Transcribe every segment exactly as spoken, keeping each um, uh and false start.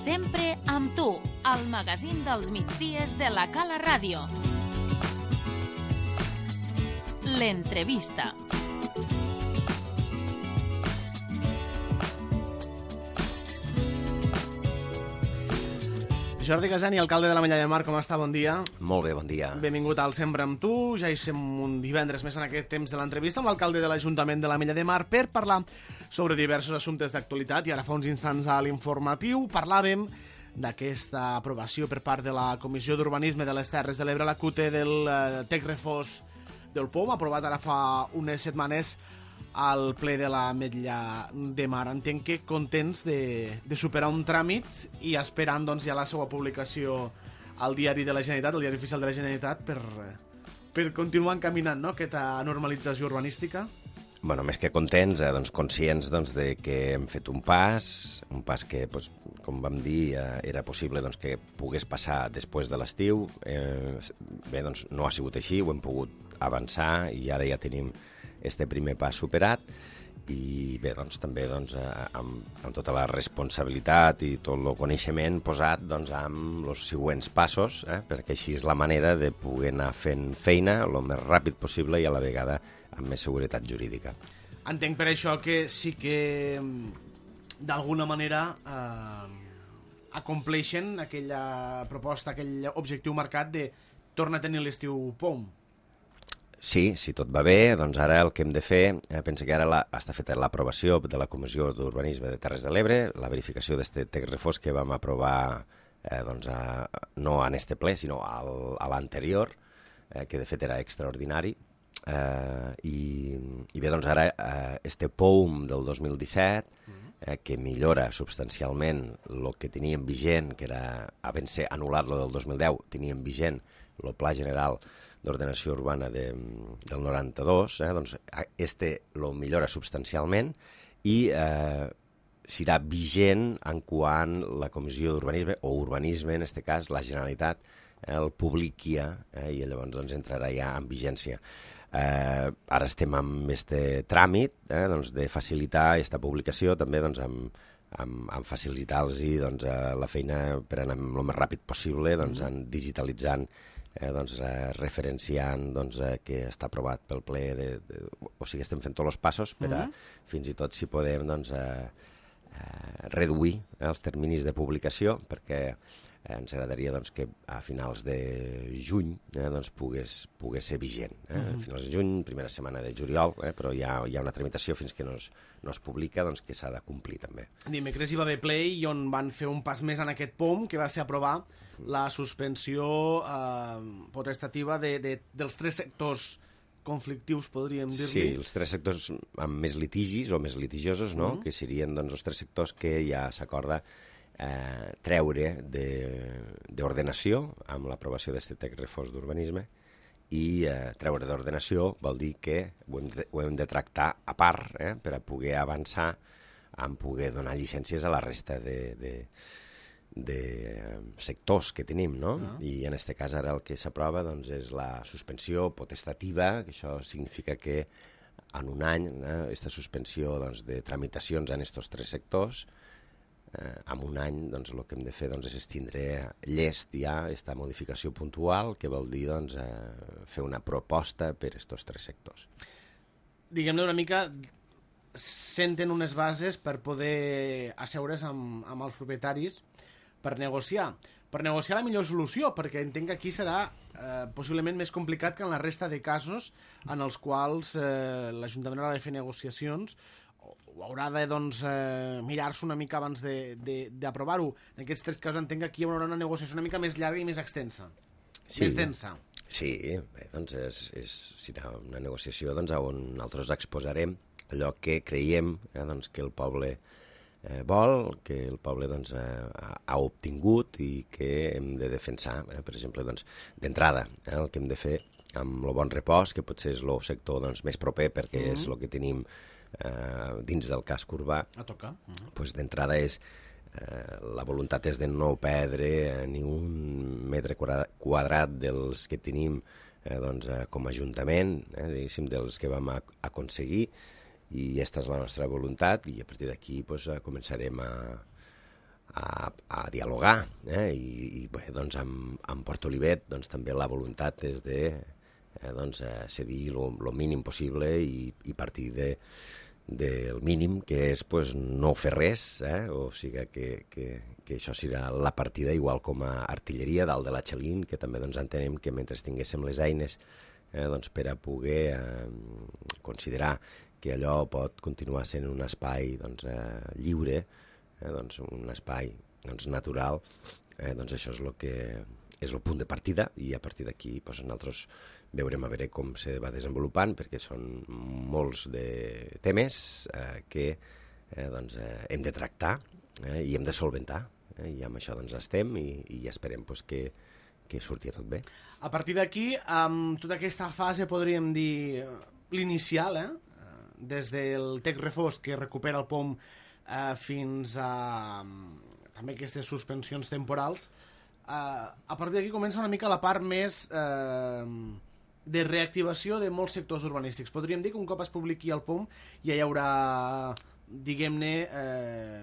Sempre amb tu, al magazín dels migdies de la Cala Ràdio. L'entrevista. Jordi Casani, alcalde de l'Ametlla de Mar, com està? Bon dia. Molt bé, bon dia. Benvingut al Sempre amb tu. Ja hi som un divendres més en aquest temps de l'entrevista amb l'alcalde de l'Ajuntament de l'Ametlla de Mar per parlar sobre diversos assumptes d'actualitat. I ara fa uns instants a l'informatiu parlàvem d'aquesta aprovació per part de la Comissió d'Urbanisme de les Terres de l'Ebre, la C U T E del eh, Tec Refós del P O M, aprovat ara fa unes setmanes al ple de l'Ametlla de Mar. Entenc que contents de, de superar un tràmit i esperant doncs, ja la seva publicació al diari de la Generalitat, al diari oficial de la Generalitat, per, per continuar encaminant, no?, aquesta normalització urbanística. Bueno, més que contents, eh, doncs, conscients doncs, de que hem fet un pas, un pas que, doncs, com vam dir, eh, era possible doncs, que pogués passar després de l'estiu. Eh, bé, doncs no ha sigut així, ho hem pogut avançar i ara ja tenim este primer pas superat i bé, doncs també doncs, amb, amb tota la responsabilitat i tot el coneixement posat doncs, amb els següents passos, eh, perquè així és la manera de poder anar fent feina el més ràpid possible i a la vegada amb més seguretat jurídica. Entenc per això que sí que d'alguna manera eh, acompleixen aquella proposta, aquell objectiu marcat de tornar a tenir l'estiu P O M. Sí, si tot va bé, doncs ara el que hem de fer, eh, penso que ara la, està feta l'aprovació de la Comissió d'Urbanisme de Terres de l'Ebre, la verificació d'aquest Tec Refós que vam aprovar eh, doncs, a, no en este ple, sinó al, a l'anterior, eh, que de fet era extraordinari. Eh, i, I bé, doncs ara eh, este P O M del dos mil disset, eh, que millora substancialment el que teníem vigent, que era, a ben ser anul·lat lo del dos mil deu, teníem vigent el Pla General d'Ordenació Urbana de, del noranta-dos, eh, doncs este lo millora substancialment i eh, serà vigent en quant la Comissió d'Urbanisme, o Urbanisme, en este cas, la Generalitat, eh, el publiquia eh, i llavors doncs, entrarà ja en vigència. Eh, ara estem amb este tràmit eh, doncs, de facilitar aquesta publicació, també doncs, amb, amb, amb facilitar-los doncs, la feina per anar el més ràpid possible, doncs, en digitalitzant, eh, doncs, eh, referenciant doncs, eh, que està aprovat pel ple, de, de, o sigui, estem fent tots els passos per a, uh-huh. fins i tot si podem doncs, eh, eh, reduir eh, els terminis de publicació, perquè eh, ens agradaria doncs, que a finals de juny eh, doncs, pogués, pogués ser vigent. Eh? Uh-huh. A finals de juny, primera setmana de juliol, eh, però hi ha, hi ha una tramitació fins que no es, no es publica doncs, que s'ha de complir també. Dimecres hi va haver ple i on van fer un pas més en aquest P O M, que va ser aprovar la suspensió eh, potestativa de, de, dels tres sectors conflictius, podríem dir-li. Sí, els tres sectors amb més litigis o més litigiosos, no? Uh-huh. Que serien doncs, els tres sectors que ja s'acorda eh, treure d'ordenació amb l'aprovació d'aquest Tec Refós d'Urbanisme i eh, treure d'ordenació vol dir que ho hem de, ho hem de tractar a part eh, per a poder avançar en poder donar llicències a la resta de, de, de sectors que tenim, no? Uh-huh. I en aquest cas ara el que s'aprova doncs, és la suspensió potestativa, que això significa que en un any, aquesta eh, suspensió doncs, de tramitacions en aquests tres sectors, eh, en un any doncs, el que hem de fer doncs, és estindre llest ja aquesta modificació puntual, que vol dir doncs, eh, fer una proposta per aquests tres sectors. Diguem-ne una mica, senten unes bases per poder asseure's amb, amb els propietaris per negociar, per negociar la millor solució, perquè entenc que aquí serà eh, possiblement més complicat que en la resta de casos en els quals eh, l'Ajuntament haurà de fer negociacions o, o haurà de doncs, eh, mirar-se una mica abans d'aprovar-ho. En aquests tres casos entenc que aquí hi haurà una negociació una mica més llarga i més extensa, sí. més densa. Sí, bé, doncs és, és, serà una negociació doncs, on nosaltres exposarem allò que creiem eh, doncs, que el poble Eh, vol, que el poble doncs, eh, ha obtingut i que hem de defensar. Eh? Per exemple, doncs, d'entrada, eh, el que hem de fer amb el bon repòs, que potser és el sector doncs, més proper perquè mm-hmm. és el que tenim eh, dins del casc urbà, a tocar. Mm-hmm. Pues, d'entrada és eh, la voluntat és de no perdre eh, ni un metre quadrat dels que tenim eh, doncs, eh, com a ajuntament, eh, diguéssim, dels que vam a- aconseguir, i aquesta és la nostra voluntat i a partir d'aquí pues, començarem a, a, a dialogar, eh? I, i bé, doncs amb, amb Port Olivet doncs, també la voluntat és de eh, doncs, eh, cedir el mínim possible i, i partir de, del mínim, que és pues, no fer res, eh? O sigui que, que, que això serà la partida, igual com a artilleria dalt de la Xalín, que també doncs, entenem que mentre tinguéssim les eines eh, doncs, per a poder eh, considerar que allò pot continuar sent un espai doncs, eh, lliure, eh, doncs, un espai doncs, natural, eh, doncs això és el que és el punt de partida, i a partir d'aquí doncs, nosaltres veurem a veure com se va desenvolupant, perquè són molts de temes eh, que eh, doncs, eh, hem de tractar eh, i hem de solventar, eh, i amb això doncs, estem i, i esperem doncs, que, que surti tot bé. A partir d'aquí, amb tota aquesta fase, podríem dir l'inicial, eh? Des del Tec Refós, que recupera el P O M, eh, fins a també aquestes suspensions temporals, eh, a partir d'aquí comença una mica la part més eh, de reactivació de molts sectors urbanístics. Podríem dir que un cop es publiqui el P O M ja hi haurà, diguem-ne, eh,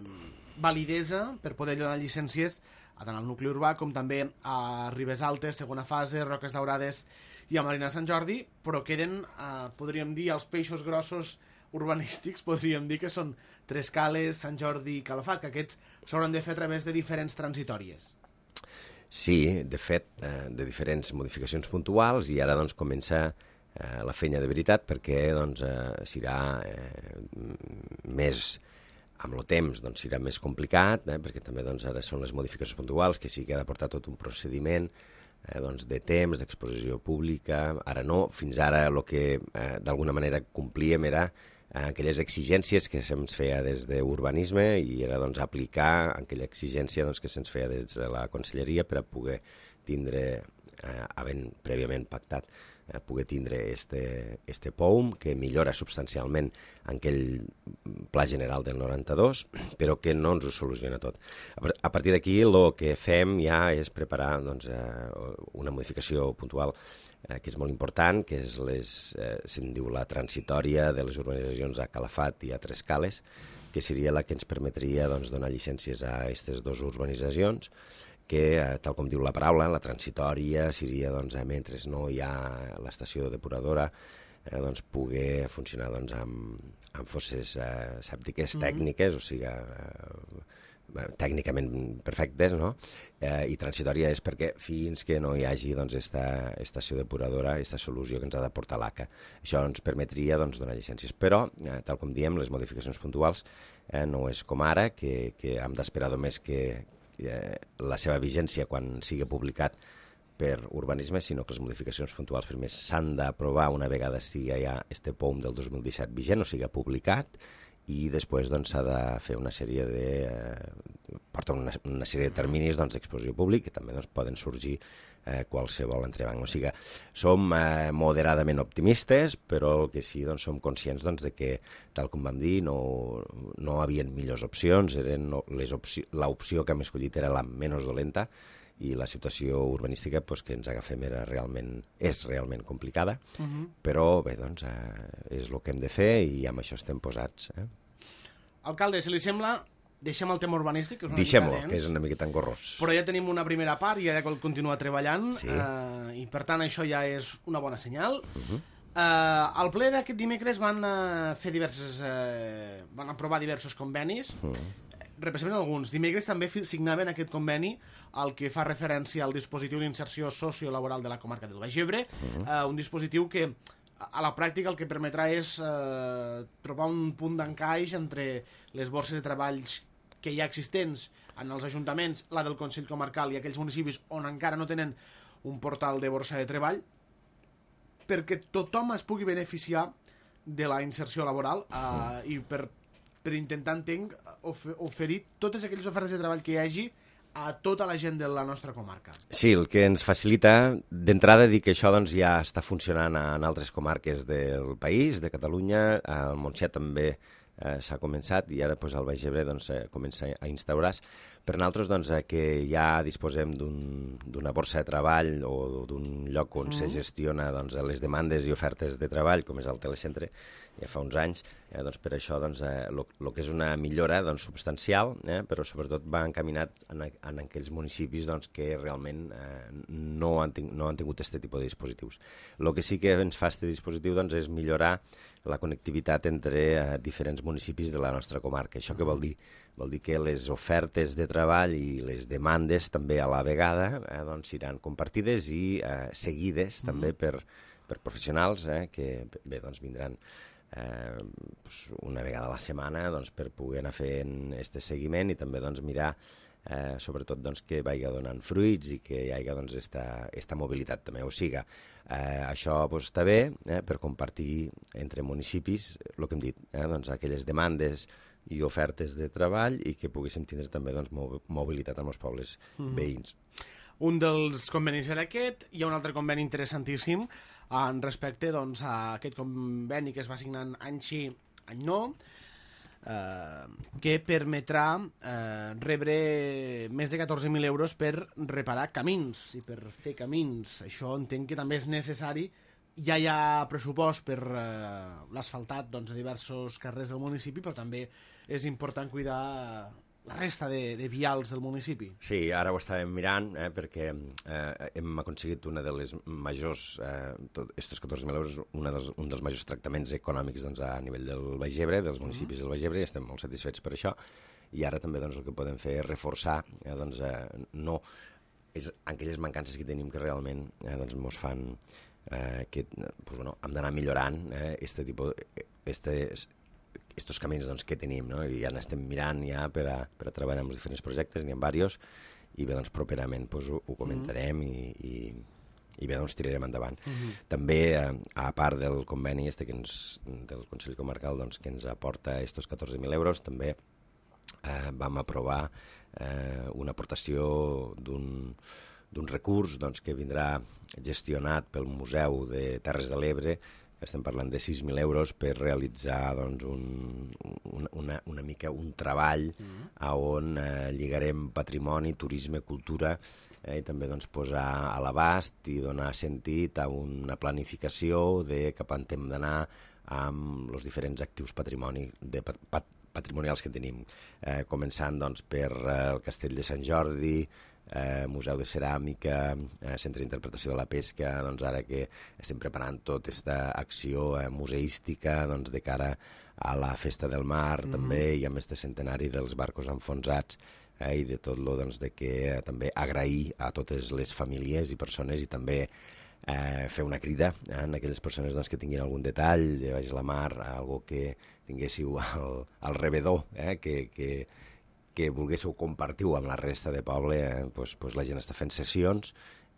validesa per poder donar llicències a tant al nucli urbà com també a Ribes Altes, segona fase, Roques Daurades i a Marina Sant Jordi, però queden, eh, podríem dir, els peixos grossos urbanístics, podríem dir que són Trescales, Sant Jordi i Calafat, que aquests s'hauran de fer a través de diferents transitòries. Sí, de fet, eh, de diferents modificacions puntuals, i ara doncs, comença eh, la feina de veritat, perquè doncs, eh, serà eh, més, amb el temps, doncs, serà més complicat, eh, perquè també doncs, ara són les modificacions puntuals, que sí que ha de portar tot un procediment eh, doncs, de temps, d'exposició pública. Ara no, fins ara el que eh, d'alguna manera complíem era eh, aquelles exigències que se'ns feia des d'urbanisme, i era doncs, aplicar aquella exigència doncs, que se'ns feia des de la Conselleria per a poder tindre, eh, havent prèviament pactat, eh, poder tindre este, este P O M, que millora substancialment en aquell pla general del noranta-dos, però que no ens ho soluciona tot. A partir d'aquí, el que fem ja és preparar doncs, eh, una modificació puntual eh, que és molt important, que és les, eh, se'n diu la transitòria de les urbanitzacions a Calafat i a Trescales, que seria la que ens permetria doncs, donar llicències a aquestes dues urbanitzacions, que, eh, tal com diu la paraula, la transitòria seria, doncs, eh, mentre no hi ha l'estació depuradora, eh, doncs, poder funcionar doncs, amb, amb fosses eh, sèptiques mm-hmm. tècniques, o sigui, eh, tècnicament perfectes, no? Eh, I transitòria és perquè fins que no hi hagi doncs, esta estació depuradora, aquesta solució que ens ha de portar l'A C A. Això ens permetria doncs, donar llicències. Però, eh, tal com diem, les modificacions puntuals eh, no és com ara, que, que hem d'esperar només que eh, la seva vigència quan sigui publicat per urbanisme, sinó que les modificacions puntuals primer s'han d'aprovar una vegada sigui ja este P O M del dos mil disset vigent, o sigui publicat, i després doncs, s'ha de fer una sèrie de eh, porta una, una sèrie de terminis doncs, d'exposició públic, que també doncs, poden sorgir eh, qualsevol entrebanc. O sigui, som eh, moderadament optimistes, però el que sí doncs, som conscients doncs, de que, tal com vam dir, no, no havien millors opcions, eren no, les opci l'opció que hem escollit era la menys dolenta, i la situació urbanística pues, que ens agafem era realment, és realment complicada, uh-huh. però bé, doncs, eh, és el que hem de fer i amb això estem posats. Eh? Alcalde, si li sembla, deixem el tema urbanístic, que és una Deixem-ho, mica dens, que és una miqueta engorrós. Però ja tenim una primera part i ja continua treballant, sí. eh, i per tant això ja és una bona senyal. Uh-huh. eh, al ple d'aquest dimecres van eh, fer diverses, eh, van aprovar diversos convenis, uh-huh. representen alguns. Dimecres també signaven aquest conveni al que fa referència al dispositiu d'inserció sociolaboral de la comarca del Baix Ebre, uh-huh. eh, un dispositiu que a la pràctica el que permetrà és eh, trobar un punt d'encaix entre les borses de treballs que hi ha existents en els ajuntaments, la del Consell Comarcal i aquells municipis on encara no tenen un portal de borsa de treball, perquè tothom es pugui beneficiar de la inserció laboral eh, uh-huh. i per per intentar, entenc, oferir totes aquelles ofertes de treball que hi hagi a tota la gent de la nostra comarca. Sí, el que ens facilita, d'entrada, dir que això doncs, ja està funcionant en altres comarques del país, de Catalunya, al Montsià també eh, s'ha començat, i ara doncs, al Baix Ebre doncs, eh, comença a instaurar-se. Per nosaltres, doncs, eh, que ja disposem d'una un, borsa de treball o d'un lloc on mm. se gestiona doncs, les demandes i ofertes de treball, com és el Telecentre, ja fa uns anys, Eh, doncs per això doncs, eh, lo, lo que és una millora doncs, substancial, eh, però sobretot va encaminat en, en aquells municipis doncs, que realment eh, no, han ting, no han tingut aquest tipus de dispositius. El que sí que ens fa aquest dispositiu doncs, és millorar la connectivitat entre eh, diferents municipis de la nostra comarca. Això què vol dir? Vol dir que les ofertes de treball i les demandes també a la vegada eh, doncs, seran compartides i eh, seguides mm-hmm. també per, per professionals eh, que bé, doncs, vindran Eh, pues una vegada a la setmana doncs, per poder anar fent aquest seguiment i també doncs, mirar eh, sobretot doncs, que vagi donant fruits i que hi hagi doncs, esta, esta mobilitat també. O sigui, eh, això pues, està bé eh, per compartir entre municipis el que hem dit, eh, doncs, aquelles demandes i ofertes de treball i que poguéssim tindre també doncs, mobilitat amb els pobles mm. veïns. Un dels convenis era aquest, hi ha un altre conveni interessantíssim en respecte doncs, a aquest conveni que es va signar any sí, any no, eh, que permetrà eh, rebre més de catorze mil euros per reparar camins i per fer camins. Això entenc que també és necessari. Ja hi ha pressupost per eh, l'asfaltat doncs, a diversos carrers del municipi, però també és important cuidar la resta de, de vials del municipi. Sí, ara ho estàvem mirant, eh, perquè eh, hem aconseguit una de les majors, eh, estos catorze mil euros, una dels, un dels majors tractaments econòmics doncs, a nivell del Baix Ebre, dels municipis mm. del Baix Ebre, i estem molt satisfets per això, i ara també doncs, el que podem fer és reforçar, eh, doncs, eh, no, és aquelles mancances que tenim que realment eh, doncs, mos fan eh, que pues, bueno, hem d'anar millorant eh, este tipus, este, estos camins doncs, que tenim, no? I ja n'estem mirant ja per a, per a treballar amb els diferents projectes, n'hi ha diversos, i bé, doncs, properament doncs, ho, ho comentarem mm-hmm. i, i, i bé, doncs, tirarem endavant. Mm-hmm. També, eh, a part del conveni este que ens, del Consell Comarcal doncs, que ens aporta estos catorze mil euros, també eh, vam aprovar eh, una aportació d'un d'un recurs doncs, que vindrà gestionat pel Museu de Terres de l'Ebre. Estem parlant de sis mil euros per realitzar doncs, un, una, una, una mica un treball mm. on eh, lligarem patrimoni, turisme, cultura eh, i també doncs, posar a l'abast i donar sentit a una planificació de cap on hem d'anar amb els diferents actius patrimoni de pat, pat, patrimonials que tenim, eh, començant doncs, per eh, el Castell de Sant Jordi, Eh, Museu de Ceràmica, eh, Centre d'Interpretació de la Pesca, doncs ara que estem preparant tota aquesta acció eh, museística doncs, de cara a la Festa del Mar, mm-hmm. també, i amb este centenari dels barcos enfonsats, eh, i de tot lo doncs, de que eh, també agrair a totes les famílies i persones i també eh, fer una crida eh, a aquelles persones doncs, que tinguin algun detall de baix la mar, algo que tinguéssiu al, al rebedor, eh, que... que que volguéssiu compartir-ho amb la resta de poble, eh, doncs, doncs la gent està fent sessions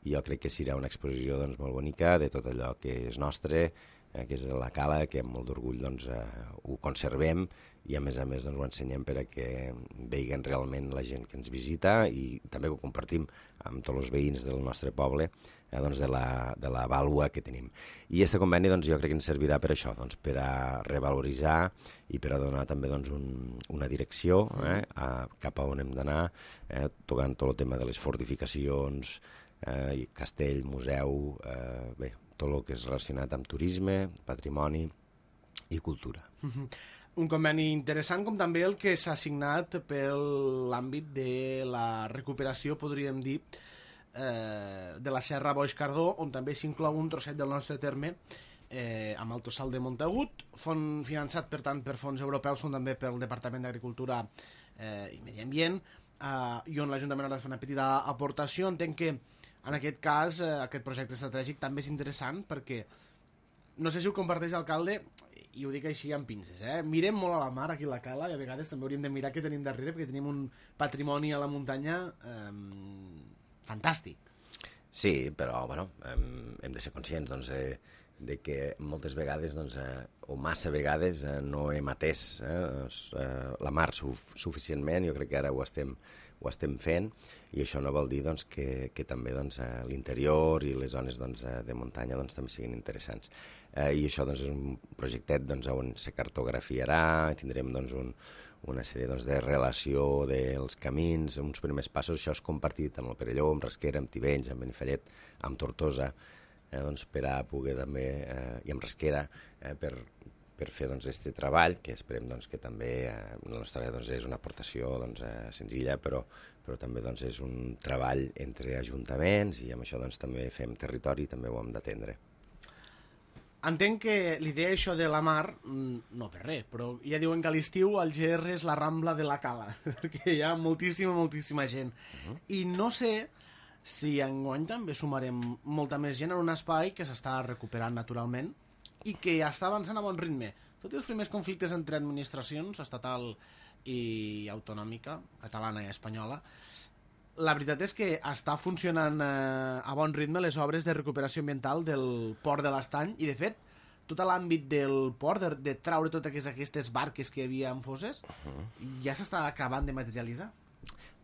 i jo crec que serà una exposició doncs, molt bonica de tot allò que és nostre, eh, que és de la cala, que amb molt d'orgull doncs, eh, ho conservem i a més a més doncs, ho ensenyem per a que vegin realment la gent que ens visita i també ho compartim amb tots els veïns del nostre poble eh, doncs, de, la, de la vàlua que tenim. I aquest conveni doncs, jo crec que ens servirà per això, doncs, per a revaloritzar i per a donar també doncs, un, una direcció eh, a, cap a on hem d'anar, eh, tocant tot el tema de les fortificacions, eh, castell, museu, eh, bé, tot el que és relacionat amb turisme, patrimoni i cultura. Mm-hmm. Un conveni interessant com també el que s'ha signat per l'àmbit de la recuperació, podríem dir, eh, de la Serra Boix Cardó, on també s'inclou un trosset del nostre terme eh, amb el Tossal de Montagut, fons finançat per tant per fons europeus, on també pel Departament d'Agricultura eh, i Medi Ambient, eh, i on l'Ajuntament ha de fer una petita aportació. Entenc que en aquest cas eh, aquest projecte estratègic també és interessant perquè no sé si ho comparteix l'alcalde, i ho dic així amb pinces, eh? Mirem molt a la mar aquí a la cala i a vegades també hauríem de mirar què tenim darrere perquè tenim un patrimoni a la muntanya eh, fantàstic. Sí, però bueno, hem, hem de ser conscients doncs, eh, de que moltes vegades doncs, eh, o massa vegades eh, no hem atès eh, doncs, eh, la mar suf suficientment. Jo crec que ara ho estem, ho estem fent i això no vol dir doncs, que, que també doncs, eh, l'interior i les zones doncs, eh, de muntanya doncs, també siguin interessants. Eh, I això doncs, és un projectet doncs, on se cartografiarà, tindrem doncs, un, una sèrie doncs, de relació dels camins, uns primers passos. Això és compartit amb el Perelló, amb Rasquera, amb Tivenys, amb Benifallet, amb Tortosa, eh, doncs, per a poder també, eh, i amb Rasquera, eh, per, per fer aquest doncs, treball, que esperem doncs, que també eh, la nostra doncs, és una aportació doncs, eh, senzilla, però, però també doncs, és un treball entre ajuntaments i amb això doncs, també fem territori i també ho hem d'atendre. Entenc que l'idea això de la mar, no per res, però ja diuen que a l'estiu el G R és la Rambla de la Cala, perquè hi ha moltíssima, moltíssima gent. Uh-huh. I no sé si enguany també sumarem molta més gent en un espai que s'està recuperant naturalment i que ja està avançant a bon ritme. Tot i els primers conflictes entre administracions, estatal i autonòmica, catalana i espanyola, la veritat és que està funcionant eh, a bon ritme les obres de recuperació ambiental del port de l'Estany i, de fet, tot l'àmbit del port, de, de traure totes aquestes barques que hi havia en fosses, uh-huh. ja s'està acabant de materialitzar.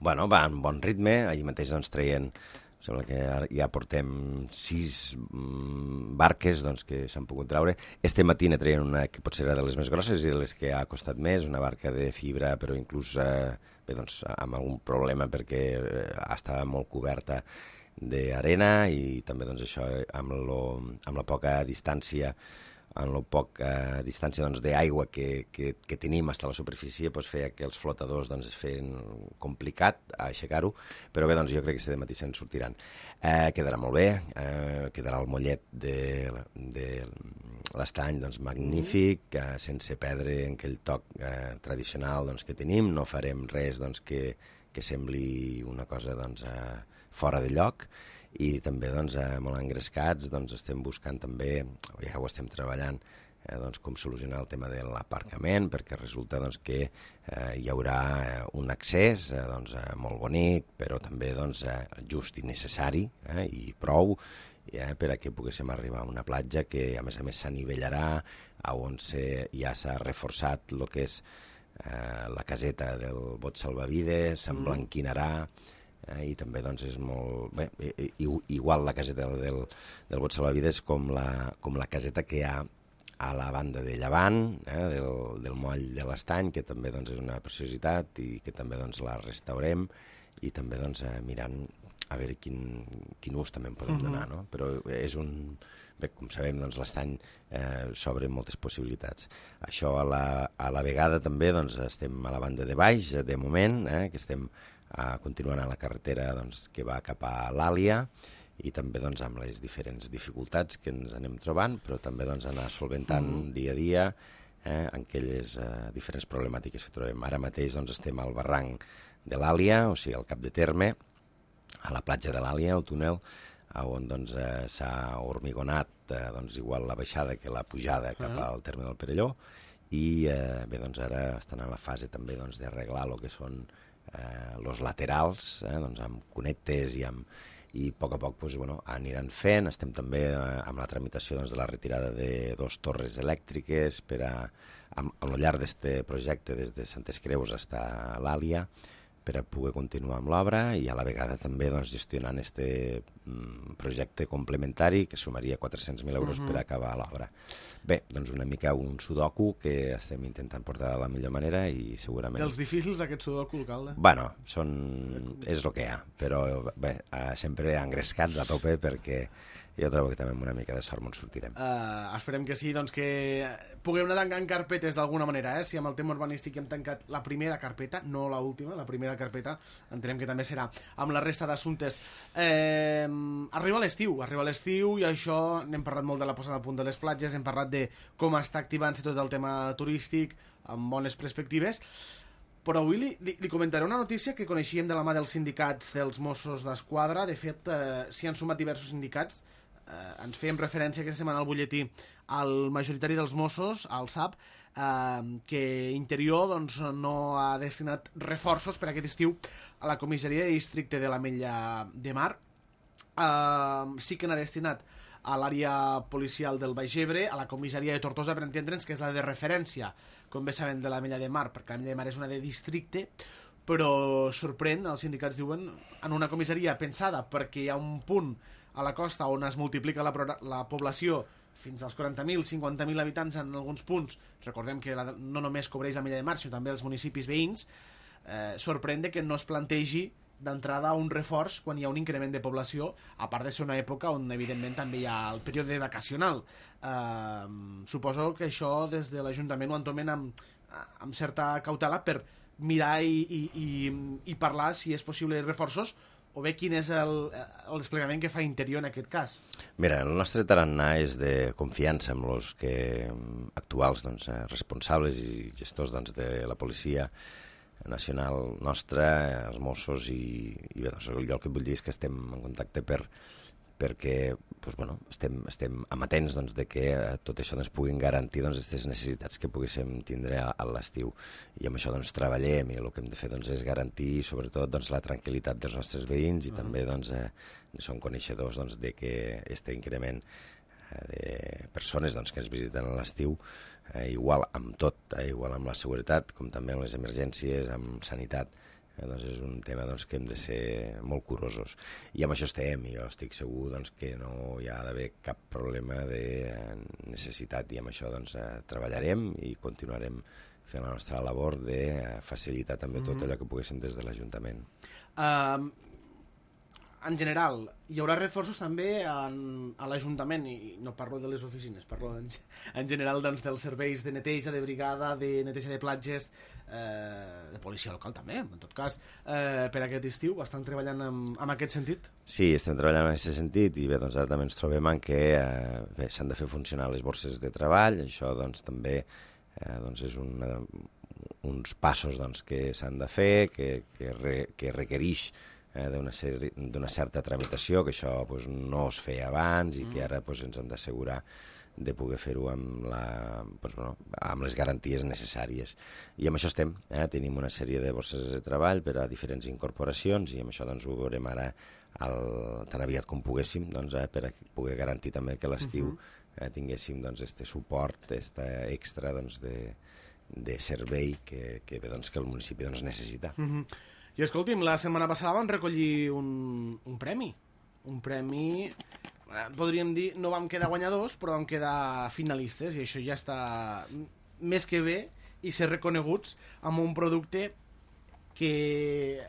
Bueno, va en bon ritme, ahir mateix doncs traient, sembla que ja portem sis mm, barques doncs, que s'han pogut traure. Este matí ne traien una que potser era de les més grosses i de les que ha costat més, una barca de fibra, però inclús eh, bé, doncs, amb algun problema perquè eh, estava molt coberta d'arena i també doncs, això amb, lo, amb la poca distància en la poca distància doncs, d'aigua que, que, que tenim fins a la superfície doncs, feia que els flotadors doncs, es feien complicat a aixecar-ho, però bé, doncs, jo crec que aquest matí se'n sortiran. Eh, quedarà molt bé, eh, quedarà el mollet de, de l'Estany doncs, magnífic, eh, sense perdre en aquell toc eh, tradicional doncs, que tenim, no farem res doncs, que, que sembli una cosa doncs, eh, fora de lloc, i també doncs, eh, molt engrescats doncs, estem buscant també, ja ho estem treballant, eh, doncs, com solucionar el tema de l'aparcament, perquè resulta doncs, que eh, hi haurà eh, un accés eh, doncs, eh, molt bonic, però també doncs, eh, just i necessari eh, i prou eh, per a que poguéssim arribar a una platja que a més a més s'anivellarà, on se, ja s'ha reforçat el que és eh, la caseta del bot salvavides, s'emblanquinarà, i també doncs, és molt bé, igual la caseta del, del bot salvavides com la, com la caseta que hi ha a la banda de llevant eh, del, del moll de l'Estany, que també doncs, és una preciositat i que també doncs, la restaurem i també doncs, mirant a veure quin, quin ús també en podem donar, no? Però és un... Bé, com sabem, doncs, l'Estany eh, s'obre moltes possibilitats. Això a la, a la vegada també doncs, estem a la banda de baix, de moment, eh, que estem Uh, continuant a la carretera doncs, que va cap a l'Àlia i també doncs, amb les diferents dificultats que ens anem trobant, però també doncs, anar solventant mm. dia a dia eh, en aquelles uh, diferents problemàtiques que trobem. Ara mateix doncs, estem al barranc de l'Àlia, o sigui, al cap de terme, a la platja de l'Àlia, al túnel, on doncs, eh, s'ha hormigonat eh, doncs, igual la baixada que la pujada cap mm. al terme del Perelló i eh, bé, doncs, ara estan en la fase també doncs, d'arreglar el que són Eh, los laterals, eh, doncs amb connectes i, amb, i a poc a poc doncs, bueno, aniran fent. Estem també eh, amb la tramitació doncs, de la retirada de dos torres elèctriques per a, a, a lo llarg d'aquest projecte des de Santes Creus fins a l'Àlia per a poder continuar amb l'obra i a la vegada també doncs, gestionant aquest mm, projecte complementari que sumaria quatre-cents mil euros uh-huh. per acabar l'obra. Bé, doncs una mica un sudoku que estem intentant portar de la millor manera i segurament... Dels difícils aquest sudoku, alcalde? Bueno, són... és el que hi ha, però bé, sempre engrescats a tope perquè jo trobo que també amb una mica de sort ens sortirem. Uh, esperem que sí, doncs que puguem anar tancant carpetes d'alguna manera, eh? Si amb el tema urbanístic hem tancat la primera carpeta, no la última, la primera carpeta, entenem que també serà amb la resta d'assumptes. Eh, arriba l'estiu, arriba l'estiu i això, n'hem parlat molt de la posada a punt de les platges, hem parlat de com està activant-se tot el tema turístic, amb bones perspectives, però avui li, li, li comentaré una notícia que coneixíem de la mà dels sindicats dels Mossos d'Esquadra. De fet, eh, s'hi han sumat diversos sindicats. Eh, ens fèiem referència aquesta setmana al butlletí al majoritari dels Mossos, al S A P, eh, que Interior doncs, no ha destinat reforços per aquest estiu a la comissaria de districte de l'Ametlla de Mar. Eh, sí que n'ha destinat a l'àrea policial del Baix Ebre, a la comissaria de Tortosa, per entendre'ns, que és la de referència, com bé sabem, de l'Ametlla de Mar, perquè l'Ametlla de Mar és una de districte, però sorprèn, els sindicats diuen, en una comissaria pensada perquè hi ha un punt a la costa on es multiplica la, la població fins als quaranta mil, cinquanta mil habitants en alguns punts. Recordem que la, no només cobreix l'Ametlla de Mar, sinó també els municipis veïns. Eh, sorprèn que no es plantegi d'entrada un reforç quan hi ha un increment de població, a part de ser una època on evidentment també hi ha el període vacacional. Eh, suposo que això des de l'Ajuntament ho entomen amb, amb certa cautela per mirar i, i, i, i parlar si és possible reforços o bé quin és el, el desplegament que fa Interior en aquest cas. Mira, el nostre tarannà és de confiança amb els que actuals doncs, responsables i gestors doncs, de la policia nacional nostra, els Mossos i, i bé, doncs, jo el que et vull dir és que estem en contacte per, perquè doncs, bueno, estem, estem amatents doncs, de que tot això ens puguin garantir doncs, aquestes necessitats que poguéssim tindre a, a l'estiu. I amb això doncs, treballem i el que hem de fer doncs, és garantir sobretot doncs, la tranquil·litat dels nostres veïns i uh-huh. també doncs, eh, som coneixedors doncs, de que aquest increment de persones doncs, que ens visiten a l'estiu, eh, igual amb tot, eh, igual amb la seguretat, com també amb les emergències, amb sanitat, eh, doncs és un tema doncs, que hem de ser molt curosos. I amb això estem, i jo estic segur doncs, que no hi ha d'haver cap problema de necessitat, i amb això doncs, eh, treballarem i continuarem fent la nostra labor de facilitar també mm-hmm. tot allò que poguéssim des de l'Ajuntament. Um... En general, hi haurà reforços també en, a l'Ajuntament, i no parlo de les oficines, parlo en, en general doncs, dels serveis de neteja, de brigada, de neteja de platges, eh, de policia local també, en tot cas, eh, per aquest estiu. Estan treballant en, en aquest sentit? Sí, estem treballant en aquest sentit i bé, doncs ara també ens trobem en que eh, s'han de fer funcionar les borses de treball, això doncs, també eh, doncs, és una, uns passos doncs, que s'han de fer, que, que, re, que requereix d'una d'una certa tramitació, que això pues, no es feia abans i que ara pues, ens hem d'assegurar de poder fer-ho amb, la, pues, bueno, amb les garanties necessàries. I amb això estem. Eh? Tenim una sèrie de borses de treball per a diferents incorporacions i amb això doncs, ho veurem ara el, tan aviat com poguéssim doncs, eh? per a poder garantir també que l'estiu eh, tinguéssim doncs, este suport, este extra doncs, de, de servei que, que, bé, doncs, que el municipi doncs, necessita. Mm-hmm. I escolti'm, la setmana passada vam recollir un, un premi. Un premi, eh, podríem dir, no vam quedar guanyadors, però vam quedar finalistes, i això ja està més que bé, i ser reconeguts amb un producte que...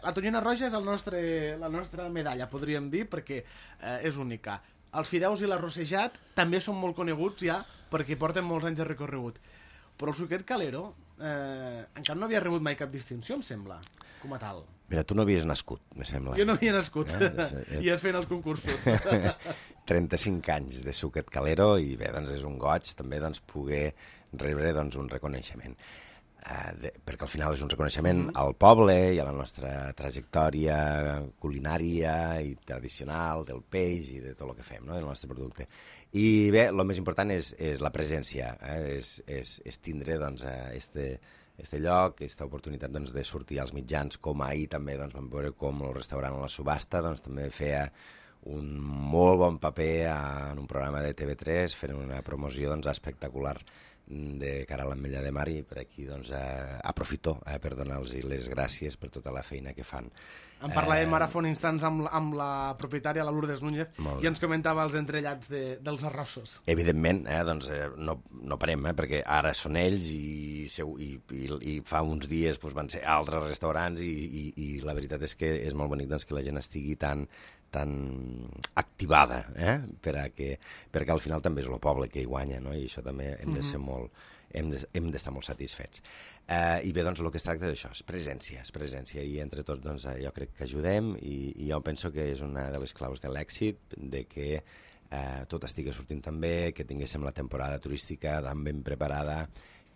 La tonyina roja és el nostre, la nostra medalla, podríem dir, perquè eh, és única. Els fideus i l'arrossejat també són molt coneguts ja, perquè porten molts anys de recorregut. Però el suquet Calero eh, encara no havia rebut mai cap distinció, em sembla, com a tal. Mira, tu no havies nascut, me sembla. Jo no havia nascut, eh? I es feien els concursos. trenta-cinc anys de suquet Calero i bé, doncs és un goig també doncs, poder rebre doncs, un reconeixement. Uh, de, perquè al final és un reconeixement mm-hmm. al poble i a la nostra trajectòria culinària i tradicional del peix i de tot el que fem, no? Del nostre producte. I bé, el més important és, és la presència, eh? és, és, és tindre doncs, este, este lloc, aquesta oportunitat doncs, de sortir als mitjans, com ahir també doncs, vam veure com el restaurant a la subhasta doncs, també feia un molt bon paper en un programa de T V tres fent una promoció doncs, espectacular de cara a l'Ametlla de Mar i per aquí doncs, eh, aprofito eh, per donar-los les gràcies per tota la feina que fan. En parlàvem eh... ara fa un instants amb, amb la propietària, la Lourdes Núñez, i ens comentava els entrellats de, dels arrossos. Evidentment, eh, doncs, eh, no, no parem, eh, perquè ara són ells i, i, i, i fa uns dies doncs, van ser altres restaurants i, i, i la veritat és que és molt bonic doncs, que la gent estigui tan tan activada, eh? per a que, perquè al final també és el poble que hi guanya, no? I això també hem de ser molt, hem de, hem d'estar molt satisfets. Eh, I bé, doncs, el que es tracta és això, és presència, és presència, i entre tots doncs, jo crec que ajudem, i, i jo penso que és una de les claus de l'èxit, de que eh, tot estigui sortint tan bé, que tinguéssim la temporada turística tan ben preparada,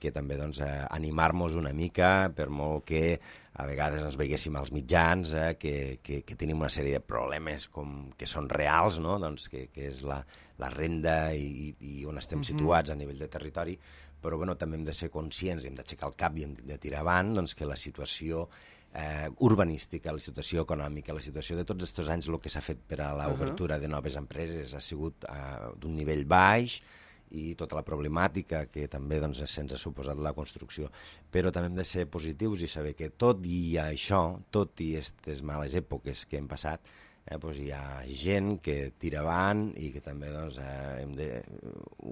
que també doncs, eh, animar-nos una mica, per molt que a vegades ens veiguéssim als mitjans, eh, que, que, que tenim una sèrie de problemes com, que són reals, no? doncs, que, que és la, la renda i, i on estem mm-hmm. situats a nivell de territori, però bueno, també hem de ser conscients, hem d'aixecar el cap i hem de tirar avant doncs, que la situació eh, urbanística, la situació econòmica, la situació de tots aquests anys, el que s'ha fet per a l'obertura uh-huh. de noves empreses ha sigut eh, d'un nivell baix, i tota la problemàtica que també doncs, se'ns ha suposat la construcció. Però també hem de ser positius i saber que tot i això, tot i aquestes males èpoques que hem passat, eh, doncs hi ha gent que tira avant i que també doncs, eh, hem de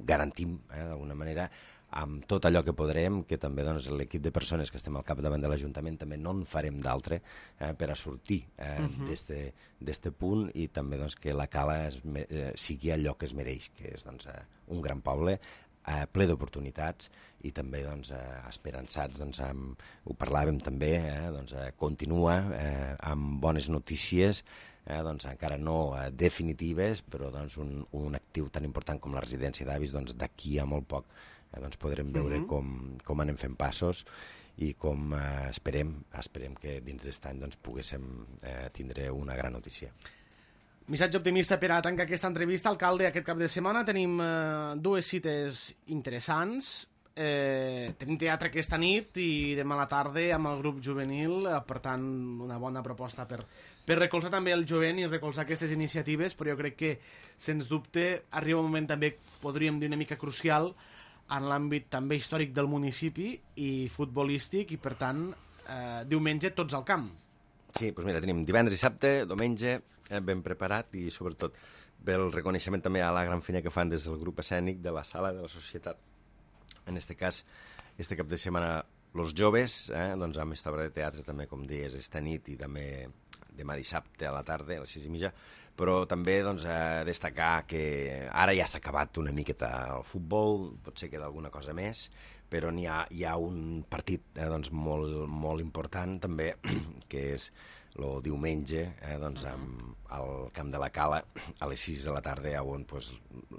garantir eh, d'alguna manera amb tot allò que podrem, que també doncs, l'equip de persones que estem al capdavant de l'Ajuntament també no en farem d'altre eh, per a sortir eh, uh-huh. d'este punt i també doncs, que la Cala es, eh, sigui allò que es mereix, que és doncs, eh, un gran poble, eh, ple d'oportunitats i també doncs, eh, esperançats, doncs, amb, ho parlàvem també, eh, doncs, eh, continua eh, amb bones notícies, Eh, doncs encara no eh, definitives, però doncs, un, un actiu tan important com la residència d'avis, doncs, d'aquí a molt poc eh, doncs, podrem veure uh-huh. com, com anem fent passos i com eh, esperem, esperem que dins d'aquest any doncs, poguéssim eh, tindre una gran notícia. Missatge optimista per a tancar aquesta entrevista. Alcalde, aquest cap de setmana tenim eh, dues cites interessants. Eh, tenim teatre aquesta nit i demà a la tarda amb el grup juvenil, eh, per tant una bona proposta per, per recolzar també el jovent i recolzar aquestes iniciatives, però jo crec que sens dubte arriba un moment també, podríem dir, una mica crucial en l'àmbit també històric del municipi i futbolístic, i per tant eh, diumenge tots al camp. Sí, doncs mira, tenim divendres i dissabte, diumenge, eh, ben preparat, i sobretot pel reconeixement també a la gran feina que fan des del grup escènic de la sala de la societat. En aquest cas, este cap de setmana, els joves, eh, doncs amb aquesta obra de teatre també, com deies, esta nit i també demà dissabte a la tarda, a les sis i mitja, però també doncs, eh, destacar que ara ja s'ha acabat una miqueta el futbol, potser queda alguna cosa més, però n'hi ha, hi ha un partit eh, doncs, molt, molt important també, que és el diumenge, eh, doncs, amb al camp de la Cala, a les sis de la tarda, on pues,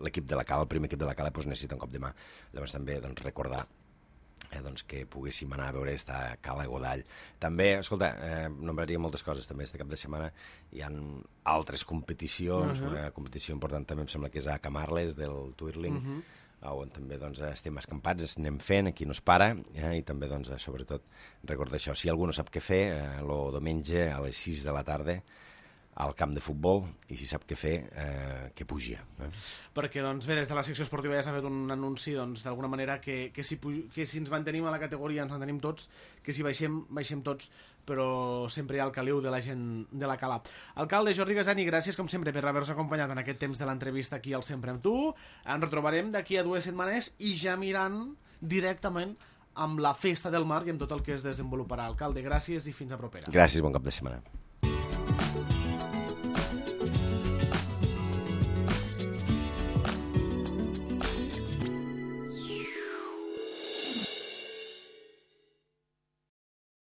l'equip de la Cala, el primer equip de la Cala, pues, necessita un cop de mà. Llavors també doncs, recordar eh, doncs, que poguéssim anar a veure esta Cala Godall. També, escolta, eh, nombraria moltes coses també este cap de setmana. Hi ha altres competicions, uh-huh. una competició important també em sembla que és a Camarles, del Twirling, uh-huh. on també doncs, estem escampats, anem fent, aquí no es para, eh, i també, doncs, sobretot, recordar això. Si algú no sap què fer, el eh, diumenge a les sis de la tarda al camp de futbol, i si sap què fer, eh, que pugi. Eh? Perquè, doncs, bé, des de la secció esportiva ja s'ha fet un anunci, doncs, d'alguna manera, que, que, si, que si ens mantenim a la categoria ens mantenim tots, que si baixem, baixem tots, però sempre hi ha el caliu de la gent de la Cala. Alcalde Jordi Gasani, gràcies com sempre per haver-nos acompanyat en aquest temps de l'entrevista aquí al Sempre amb tu. Ens retrobarem d'aquí a dues setmanes i ja mirant directament amb la Festa del Mar i amb tot el que es desenvoluparà. Alcalde, gràcies i fins a propera. Gràcies, bon cap de setmana.